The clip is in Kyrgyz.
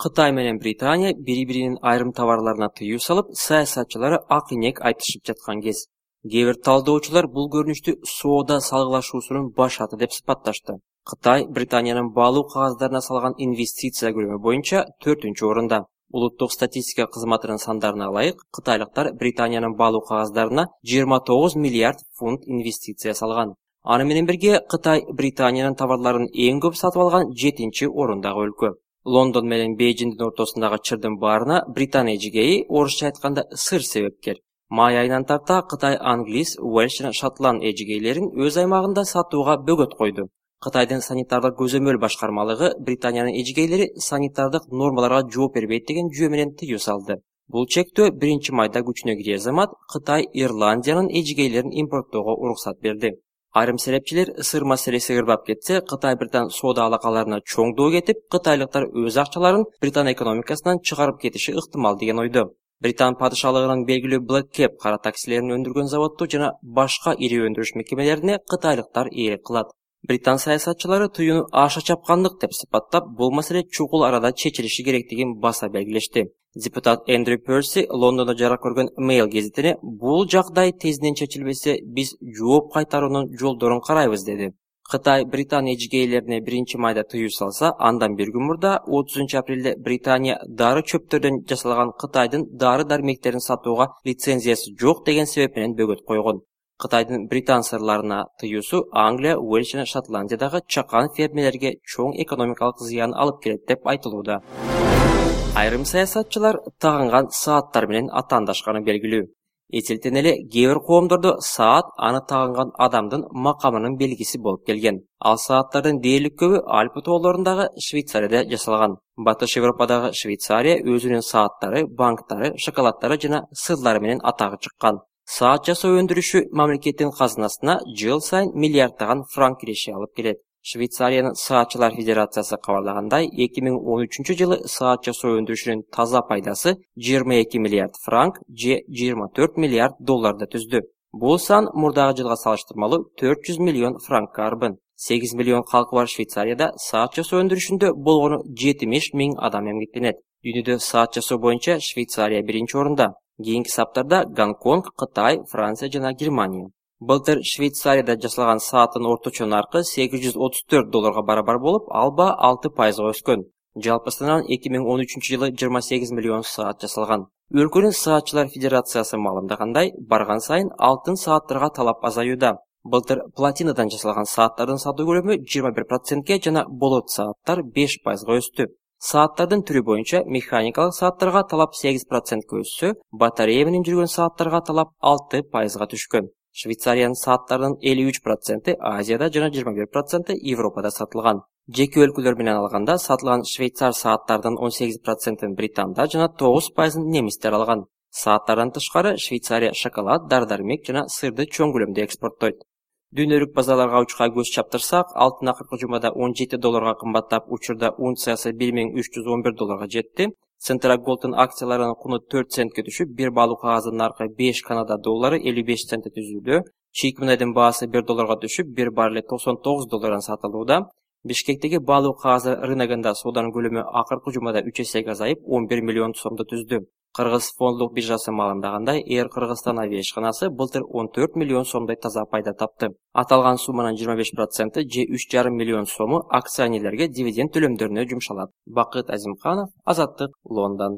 Кытай менен Британия бири-биринин айрым товарларына тыюу салып, саясатчылары ак-инек айтышып жаткан кез. Кээ бир талдоочулар бул көрүнүштү соода салгылашуусунун башаты деп сыпатташты. Кытай Британиянын баалуу кагаздарына салган инвестиция көлөмү боюнча 4-орунда. Улуттук статистика кызматынын сандарына ылайык, кытайлыктар Британиянын баалуу кагаздарына 29 миллиард фунт инвестиция салган. Аны менен бирге Кытай Британиянын товарларын эң көп сатып алган 7-орундагы өлкө. Лондон менен Бейжиңдин ортосундагы чырдын баарына Британия эжигейи, орусча айтканда сыр себепкер. Май айынан тарта Кытай англис, Уэльш жана Шотланд эжигейлерин өз аймагында сатууга бөгөт койду. Кытайдын санитардык көзөмөл башкармалыгы Британиянын эжигейлери санитардык нормаларга жооп бербейт деген жүйө менен тыюу салды. Бул чектөө 1-майда күчүнө кирер замат Кытай Ирландиянын эжигейлерин импорттоого уруксат берди. Айрым серепчилер сыр маселеси ырбап кетсе, Кытай-Британ соода алакаларына чоңдоо кетип, кытайлыктар өз акчаларын Британ экономикасынан чыгарып кетиши ыктымал деген ойдо. Британ падышалыгынын белгилүү Black Cap кара таксилерин өндүргөн заводду жана башка ири өндүрүш мекемелерине кытайлыктар ээлик кылат. Британ саясатчылары тыюуну аша чапкандык деп сыпаттап, бул маселе чукул арада чечилиши керектигин баса белгилешти. Депутат Эндрю Перси Лондондо жарык көргөн Mail гезитине бул жагдай тезинен чечилбесе, биз жооп кайтаруунун жолдорун карайбыз деди. Кытай Британ эжигейлерине 1-майда тыюу салса, андан бир күн мурда 30-апрелде Британия дары чөптөрдөн жасалган Кытайдын дары-дармектерин сатууга лицензиясы жок деген себеп менен бөгөт койгон. Кытайдын Британ сырларына тыюусу Англия, Уэльш жана Шотландиядагы чакан фермерлерге чоң экономикалык зыян алып келет деп айтылууда. Айрым саясатчылар тагынган сааттар менен атаандашканы белгилүү. Эсилтен эле кээ бир коомдордо саат аны тагынган адамдын макамынын белгиси болуп келген. Ал сааттардын дээрлик көбү Альпы тоолорундагы Швейцарияда жасалган. Батыш Европадагы Швейцария өзүнүн сааттары, банктары, шоколаддары жана сырлары менен атагы чыккан. Саат жасоо өндүрүшү мамлекеттин казынасына жыл сайын миллиарддаган франк киреше алып келет. Швейцариянын Саатчылар Федерациясы кабарлагандай, 2013-жылы саат жасоо өндүрүшүнүн таза пайдасы 22 миллиард франк же 24 миллиард долларды түздү. Бул сан мурдагы жылга салыштырмалуу 400 миллион франкка арбын. 8 миллион калкы бар Швейцарияда саат жасоо өндүрүшүндө болгону 70 миң адам эмгектенет. Дүйнөдө саат жасоо боюнча Швейцария 1-орунда. Кийинки саптарда Гонконг, Кытай, Франция жана Германия. Былтыр Швейцарияда жасалган сааттын орточо наркы $834 барабар болуп, алба 6% өскөн. Жалпысынан 2013-жылы 28 миллион саат жасалган. Өлкөнүн Саатчылар Федерациясы маалымдагандай, барган сайын алтын сааттарга талап азаюуда. Былтыр платинадан жасалган сааттардын сатуу көлөмү 21%ке жана болот сааттар 5% өстү. Сааттардын түрү боюнча механикалык сааттарга талап 8%ке өссө, батарея менен жүргөн сааттарга талап 6%га түшкөн. Швейцариянын сааттарынын 53% Азияда жана 21% Европада сатылган. Жеке өлкөлөр менен алганда сатылган швейцар сааттардын 18%-ын Британда жана 9%-ын немистер алган. Сааттардан тышкары Швейцария шоколад, дар-дармек жана сырды чоң көлөмдө экспорттойт. Дүйнөлүк базарларга учка көз чаптырсак, алтын акыркы жумада $17 кымбаттап, учурда унциясы $1311 жетти. Центрагolддун акцияларынын куну 4 центке түшүп, бир баалуу кагаздын наркы 5 Канада доллары 55 центте түзүүдө. Чийик мунайдын баасы $1 түшүп, бир баррели $99 сатылууда. Бишкектеги баалуу кагаздар рыногунда сооданын көлөмү акыркы жумада 3 эсеге азайып, 11 миллион сомду түздү. Кыргыз фондулук биржасы маалымдагандай, Air Кыргызстан авиашканасы былтыр 14 миллион сомдой таза пайда тапты. Аталган сумманын 25% же 3,5 миллион сому акционерлерге дивиденд төлөмдөрүнө жумшалат. Бакыт Азимканов, Азаттык, Лондон.